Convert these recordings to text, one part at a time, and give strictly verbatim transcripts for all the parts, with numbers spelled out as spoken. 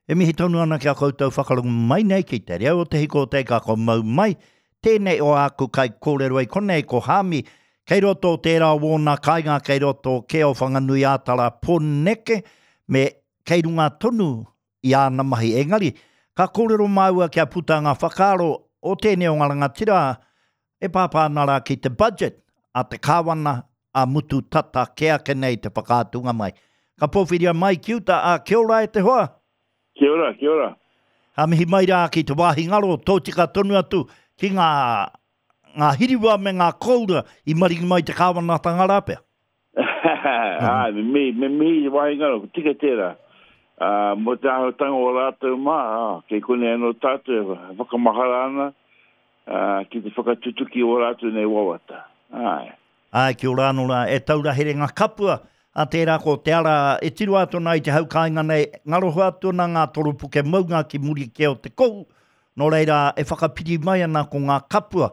E mihi tonu ana ki a koutou whakarongo mai nei ki te reo o te hiko o te ika ko mau mai. Tēnei o āku kai kōrero i konei ko Hāmi, kei roto o tērā o wōna kāinga, kei roto ke o Whanganui Ātara Pōneke, me kei runga tonu i āna mahi. Engari, ka kōrero māua kia puta ngā whakaaro o tēnei o ngā rangatira e pāpā ana rā ki te budget a te kāwana a mutu tata ke ake nei te whakaatunga mai. Ka pōwhiria mai ki uta, a kia ora e te hoa? Kia ora, kia ora. Ha mihi mai rā ki te wāhi ngaro, tōtika tonu atu ki ngā, ngā hiriwa me ngā koura i maringi mai te kāwanatanga rā pea. Ai, me mihi, me mihi te wāhi ngaro, ko tika tērā. Uh, mō te āhuatanga o rātou mā, ah, kei konei anō tātou e whakamahara ana uh, ki te whakatutuki o rātou nei wawata. Ai. Ai, kia ora anō rā, e taura here ngā kapua, a tērā ko te ara e tiro atu ana i te hau kāinga nei, ngaroho atu ana ngā toropuke maunga ki muri ke o te kohu, nō reira e whakapiri mai ana ko ngā kapua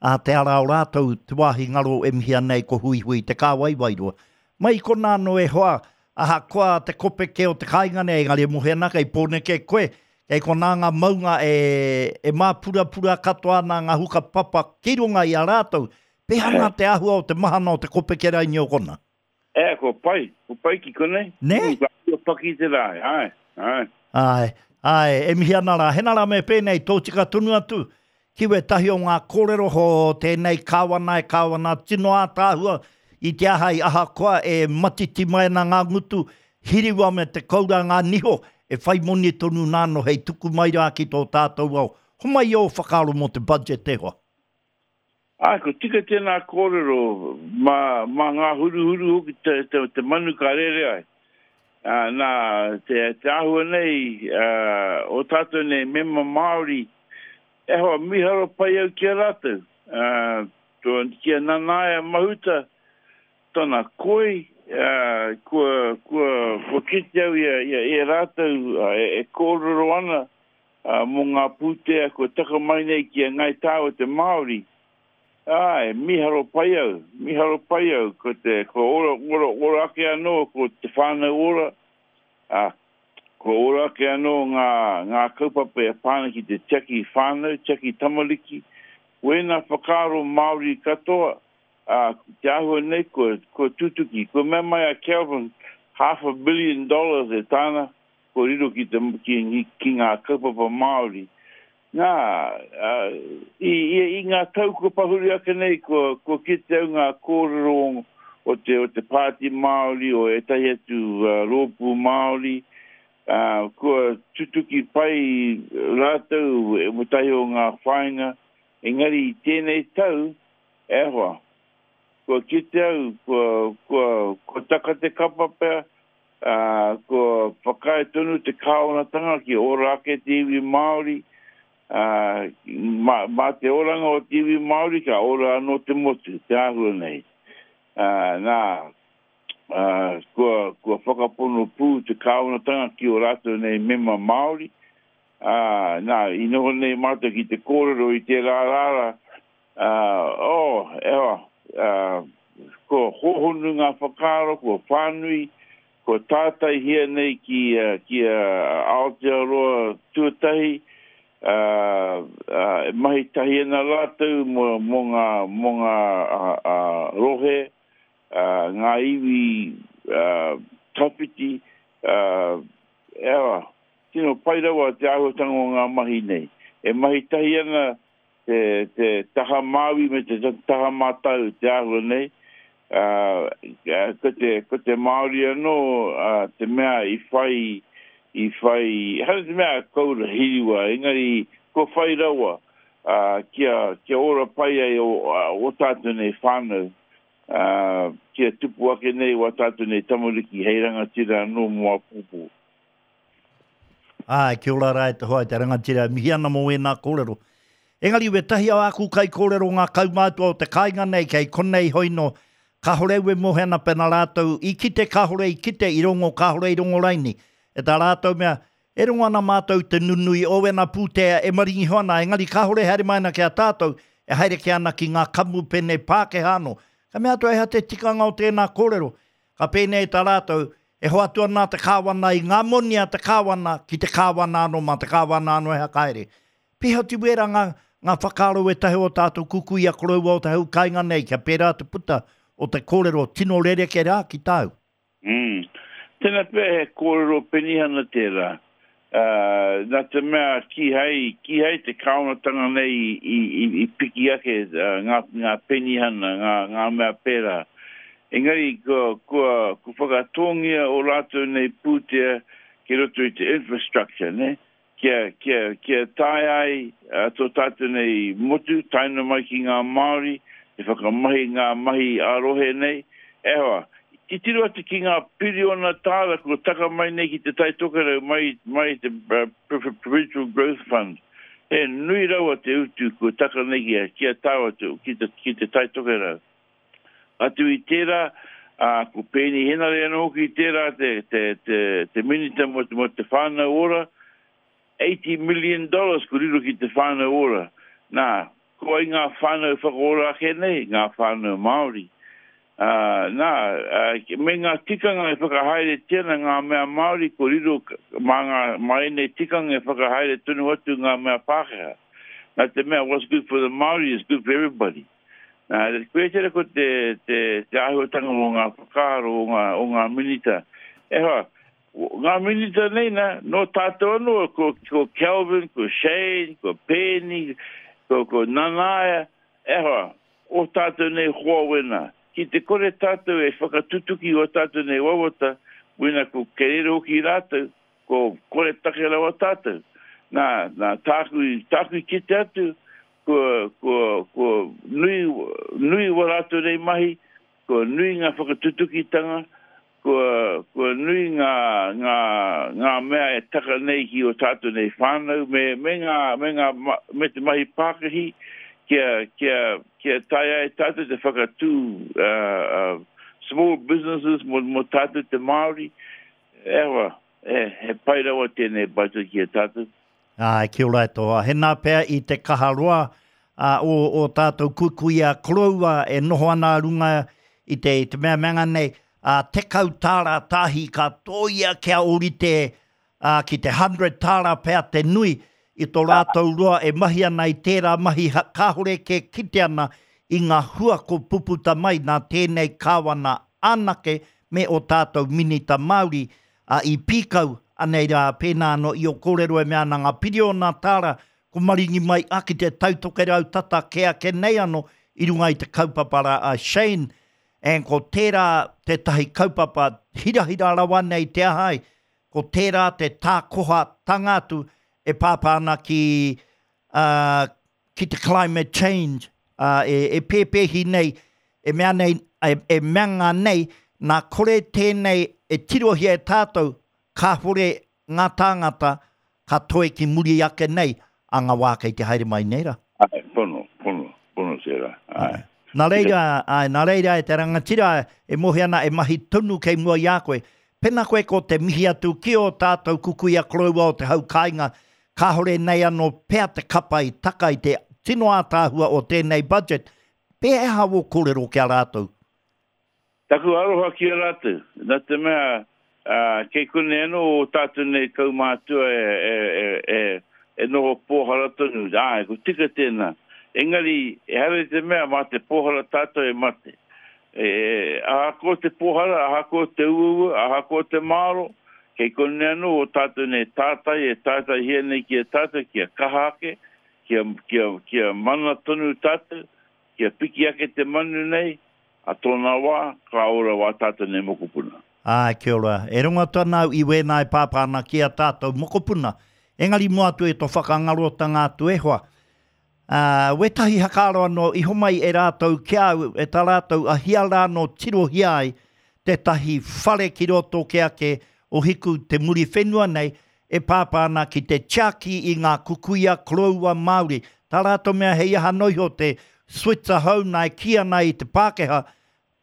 a te ara o rātou te wāhi ngaro e mihia nei ko Huihui te kāwai wairua. Mai kona anō e hoa, ahakoa te kopeke o te kāinga nei, engari e mohe ana kei Pōneke koe, kei konā ngā maunga e, e māpurapura katoa ana ngā huka papa ki runga i a rātou. Pehana te āhua o te mahana o te kopeke raini o kona? E, ko pai, ko pai ki konei. Ne? Ko paki te rā, ai, ai. Ai, ai, e mihi ana rā, hena rā me pēnei, tōtika tonu atu, ki wētahi o ngā kōrero ho tēnei kāwana e kāwana tino ātaahua i te aha i ahakoa e matiti mai ana ngā ngutu, hiriwa me te koura ngā niho, e whai moni tonu nāno hei tuku mai rā ki tō tātou ao. Homai ō whakaaro mō te budget e hoa. Ai, ko tika tēnā kōrero, mā, mā ngā huruhuru hoki te, te, te manu ka rere ai. Uh, nā, te, te āhua nei, uh, o tātou nei mema Māori, e hoa miharo pai au ki a rātou. Uh, to, ki a Nanaia Mahuta, tana koi, uh, kua, kua, kua kite au ia, ia, ia rātou uh, e, e kōrero ana uh, mō ngā pūtea kua taka mai nei ki a Ngai Tāua te Māori. Ai, miharo pai au, miharo pai au, ko te, ko ora, ora, ora ake anō, ko te whānau ora, ah, ko ora ake anō ngā, ngā kaupapa e pāna ki te tiaki whānau, tiaki tamariki, wēnā whakaaro Māori katoa, ah, te āhua nei kua, kua tutuki, kua mea mai a Kelvin, half a billion dollars e tāna, kua riro ki, te, ki, ki ngā kaupapa Māori. Nā, uh, i, i, i ngā tau kua pahuri ake nei, kua, kua kite au ngā kōrero o te, o te Pāti Māori, o ētahi atu uh, rōpū Māori, uh, kua tutuki pai rātou e wētahi o ngā whāinga, engari i tēnei tau, e hoa, kua kite au, kua, kua, kua taka te kapa pea, uh, kua whakaae tonu te kāwanatanga ki ora ake te iwi Māori, Uh, mā, mā te oranga o te iwi Māori ka ora anō te motu, te āhua nei. Uh, nā, uh, kua, kua whakapono pū te kāwanatanga ki o rātou nei mema Māori. Uh, nā, i noho nei mātou ki te kōrero i te rā rāra, uh, oh, ewa, uh, kua hōhonu ngā whakaaro, kua whānui, kua tātaihia nei ki, uh, ki uh, Aotearoa tuatahi, Uh, uh, e mahi tahi ana rātou mō, mō ngā, mō ngā uh, uh, rohe, uh, ngā iwi uh, tawhiti, uh, ewa, tino pai rawa te āhuatanga o ngā mahi nei. E mahi tahi ana te, te taha Māui me te taha Mātau te āhua nei, uh, ko te, ko te Māori anō uh, te mea i whai i whai, hara te mea koura hiriwa, engari kua whai rawa uh, kia, kia ora pai ai o, o tātou nei whānau, uh, kia tupu ake nei o tātou nei tamariki hei rangatira anō mō āpōpō. Ai, kia ora rā e te hoa e te rangatira, mihi ana mō ēnā kōrero. Engari, wētahi o āku kai kōrero ngā kaumātua o te kāinga nei, kei konei hoino, kāhore ue mohe ana pena rātou, i kite kāhore i kite, i rongo kāhore i rongo raini. E tā rātou mea, e rongo ana mātou te nunui o wena pūtea e maringi hoa ana, engari kāhore haere mai ana ki a tātou, e haere ke ana ki ngā kamupene Pākehā anō. Ka mea atu e hea te tikanga o tēnā kōrero. Ka pēnei tā rātou, E hoatu ana te kāwana i ngā moni a te kāwana ki te kāwana anō mā te kāwana anō e hakaere. Pēhea te wera ngā, ngā whakaaro e tahi o tātou kuku i a koroua o te hau kāinga nei, kia pērā te puta o te kōrero tino rereke rā ki tāu. Mm. Tēnā pea he kōrero penihana tērā. Uh, nā te mea kīhai, kīhai te kāwanatanga nei i, i, i, i piki ake uh, ngā, ngā penihana, ngā, ngā mea pērā. Engari, kua, kua, kua whakatōngia o rātou nei pūtea ki roto i te infrastructure, ne? Kia, kia, kia tae ai uh, tō tātou nei motu, tae noa mai ki ngā Māori, te whakamahi ngā mahi ā-rohe nei. E hoa, titiro atu ki ngā piriona tāra kua taka mai nei ki te Tai Tokerau mai, mai te uh, Provincial Growth Fund. He nui rawa te utu kua taka nei ki a, ki a tāu atu, ki te, ki te Tai Tokerau. Atu i tērā, uh, ko Peeni Henare anō hoki tērā te, te, te, te minita mo te, mo te whānau ora, eighty million dollars ko riro ki te whānau ora. Nā, ko ai ngā whānau whakaora ake nei, ngā whānau Māori. Uh, nā, uh, me ngā tikanga e whakahaeretia ana ngā mea Māori, ko riro mā ngā, mā ēnei tikanga e whakahaere tonu atu ngā mea Pākehā. Nā te mea, what's good for the Māori is good for everybody. Nā, koe tērā ko te, te, te āhuatanga o ngā whakaaro o ngā, o ngā minita. E hoa, ngā minita nei nā, nō tātou anō, ko, ko Kelvin, ko Shane, ko Peeni, ko, ko Nanaia, e hoa, o tātou nei hoa wena. Ki te kore tātou e whakatutuki o tātou nei wawata, wena ko kerere hoki rātou, ko kore take rawa tātou. Nā, nā tāku, tāku i kite atu, ko, ko, ko nui, nui wa rātou nei mahi, ko nui ngā whakatutukitanga, ko, ko nui ngā, ngā, ngā mea e taka nei ki o tātou nei whānau, me, me, ngā, me, ngā, me te mahi pākahi, kia, kia, kia tae ai tātou te whakatū uh, uh, small businesses mo, mo tātou te Māori. E hoa, e, he pai rawa tēnei budget ki a tātou. Ai, kia ora e toa. He nā pea i te kaharoa uh, o, o tātou kuikuia koroua e noho ana runga i te, i te mea meanga nei, uh, tekau tāra tāhi ka tōia kia orite uh, ki te hundred tāra pea te nui i tō rātou roa e mahi ana i tērā mahi kāhore ke kite ana i ngā hua ko puputa mai nā tēnei kāwana anake me o tātou minita Māori uh, i pīkau anei rā pēnā anō i o kōrero e mea ana ngā piriona tāra ko maringi mai a ki te Taitokerau tata ke ake nei anō i runga i te kaupapa rā a Shane. And ko tērā tētahi kaupapa hirahira rawa nei te ahai, ko tērā te tākoha tanga atu e pāpā ana ki, uh, ki te climate change, uh, e, e pēpēhi nei, e mea nei, e, e meanga nei, nā kore tēnei e tirohia e tātou, kāhore ngā tāngata ka toe ki muri ake nei, a ngā wā kei te haere mai nei rā. Ai, pono, pono, pono tērā. Ai. Nā reira, ai, nā reira e te rangatira e mohi ana e mahi tonu kei mua i a koe. Pena koe ko te mihi atu ki o tātou kukuia koroua o te hau kāinga, kāhore nei anō pea te kapa i taka i te tino ātaahua o tēnei budget. Pēhea o kōrero ki a rātou? Taku aroha ki a rātou. Nā te mea, uh, kei kone anō o tātou nei kaumātua e, e, e, e, e noho pōhara tonu. Ai, ko tika tēnā. Engari, e hara te mea mā te pōhara tātou e mate. E, ahakoa te pōhara, ahakoa te uaua, ahakoa te māro, kei kone anō o tātou nei tātai e tātai hia nei ki a tātou, kia kaha ake, kia, kia, kia mana tonu tātou, kia piki ake te manu nei, a tōna wā, ka ora wā tātou nei mokopuna. Ai, kia ora. E rongo atu ana au i wēnā e pāpā ana ki a tātou mokopuna. Engari mua atu e tō whakangarotanga atu e hoa. Uh, wetahi hakaaro anō i homai e rātou ki au, e tā rātou a hia rā no tirohia ai tētahi whare ki roto ke ake o hiku te muri whenua nei e pāpā ana ki te tiaki i ngā kukuia koroua Māori. Tā rātou mea hei aha noiho te Switzer hou nā e ki ana i te Pākehā,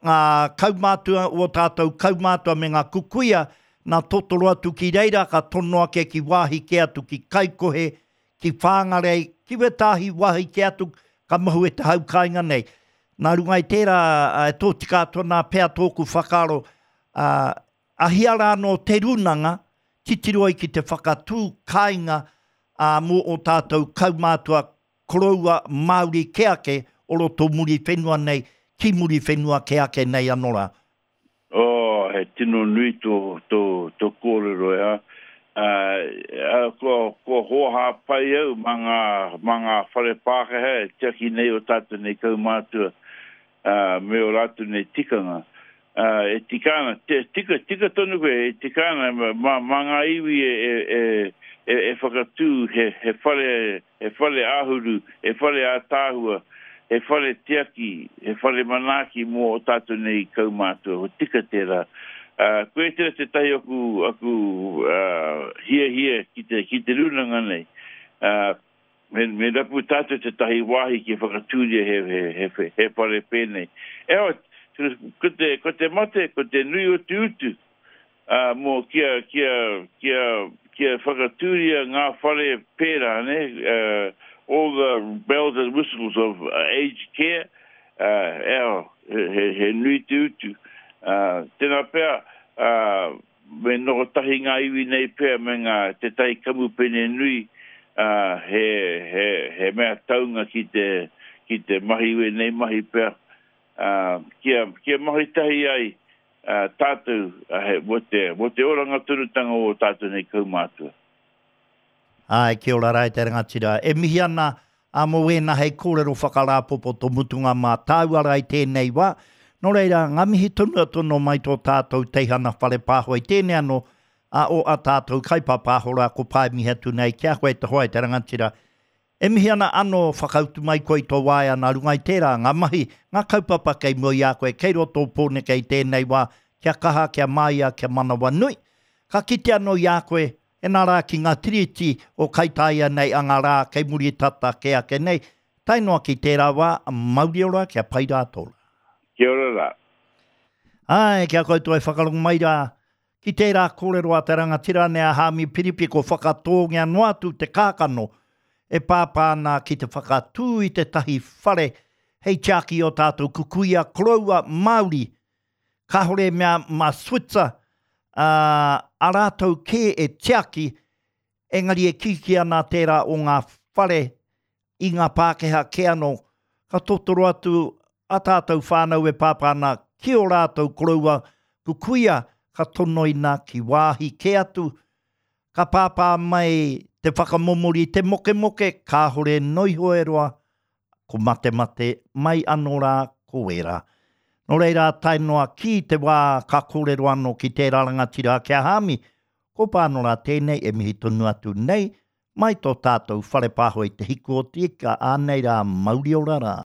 ngā kaumātua o tātou kaumātua me ngā kukuia, nā totoro atu ki reira ka tono ake ki wāhi ke atu ki Kaikohe, ki Whāngarei, ki wētāhi wāhi ke atu ka mahu e te hau kāinga nei. Nā runga i tērā, e tō tika atu ana pea tōku whakaaro, uh, Ahia rā nō te rūnanga, titiro ai ki te whakatū kāinga ā, mō o tātou kaumātua koroua Māori kē ake o roto Muriwhenua nei, ki Muriwhenua kē ake nei anō rā. Oh, he tino nui tō, tō, tō kōrero e ha. Uh, kua, kua hōhā pai au mā ngā, mā ngā whare Pākehā e tiaki nei o tātou nei kaumātua uh, me o rātou nei tikanga. Uh, e tika ana, te, tika, tika tonu koe, e tika ana mā, mā ngā iwi e, e, e, e, e whakatū he, he whare, he whare āhuru, he whare ātaahua, he whare tiaki, he whare manaaki mō o tātou nei kaumātua, ko tika tērā. Uh, koe tērā tētahi aku, aku uh, hiahia ki te, ki te rūnanga nei. Uh, me, me rapu tātou tētahi wāhi ki whakatūria he, he, he, he whare pēnei. E hoa, ko te, ko te mate, ko te nui o te utu, uh, mō kia, kia, kia, kia whakatūria ngā whare pērā, ne? Uh, all the bells and whistles of uh, aged care, uh, e hoa, he, he, he nui te utu. Uh, tēnā pea, uh, me noho tahi ngā iwi nei pea me ngā tētahi kamupene nui, uh, he, he, he mea taunga ki te, ki te mahi wēnei mahi pea, uh, kia, kia mahi tahi ai uh, tātou uh, he, mō te, mō te oranga tonutanga o tātou nei kaumātua. Ai, kia ora rā e te rangatira. E mihi ana a mō wēnā hei kōrero whakarāpopoto mutunga mā tāua rā i tēnei wā. Nō reira, ngā mihi tonu atu nō mai tō tātou teihana whare pāho i tēnei anō a o a tātou kaipāpāho rā ko pae mihi atu nei ki a koe te hoa e te rangatira. E mihi ana anō whakautu mai koe i tō waea nā runga i tērā, ngā mahi, ngā kaupapa kei mua i a koe, kei roto o Pōneke i tēnei wā, kia kaha, kia māia, kia manawanui. Ka kite anō i a koe, e nā rā ki ngā tiriti o Kaitaia nei a ngā rā kei muri tata ke ake nei, tae noa ki tērā wā, mauri ora, kia pai rā tōra. Kia ora rā. Ai, kia koutou e whakarongo mai rā, ki tērā kōrero a te rangatira nei a Haami Piripi ko whakatōngia noa atu te kākano e pāpā ana ki te whakatū i tētahi whare hei tiaki o tātou kukuia koroua Māori. Kāhore mea mā Switzer, uh, a rātou kē e tiaki, engari e kiki ana tērā o ngā whare i ngā Pākehā kē anō. Ka totoro atu a tātou whānau e pāpā ana ki o rātou koroua kukuia ka tonoina ki wāhi kē atu. Ka pāpā mai te whakamomori te mokemoke, kāhore noiho e roa, ko matemate mai anō rā ko wērā. Nō reira, tae noa ki te wā ka kōrero anō ki tērā rangatira ki a Haami, ko pānora tēnei e mihi tonu atu nei, mai tō tātou whare pāho i te hiku o te ika, ānei rā mauri ora rā.